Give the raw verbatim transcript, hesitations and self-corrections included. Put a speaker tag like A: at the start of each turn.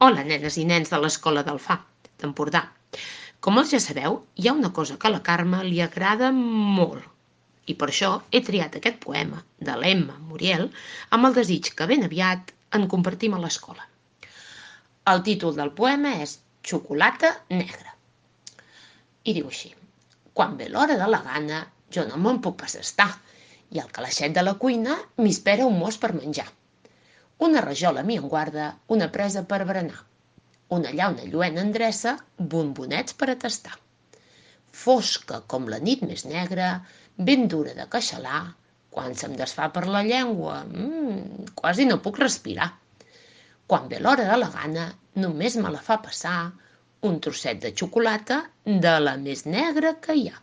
A: Hola, nenes i nens de l'Escola d'Alfà, d'Empordà. Com els ja sabeu, hi ha una cosa que a la Carme li agrada molt. I per això he triat aquest poema de l'Emma Muriel amb el desig que ben aviat en compartim a l'escola. El títol del poema és Xocolata negra. I diu així: quan ve l'hora de la gana, jo no me'n puc pas estar, i al calaixet de la cuina m'hi espera un mos per menjar. Una rajola m'hi en guarda, una presa per berenar. Una llauna lluent endreça, bombonets per a tastar. Fosca com la nit més negra, ben dura de queixalar, quan se'm desfà per la llengua, mmm, quasi no puc respirar. Quan ve l'hora de la gana, només me la fa passar un trosset de xocolata de la més negra que hi ha.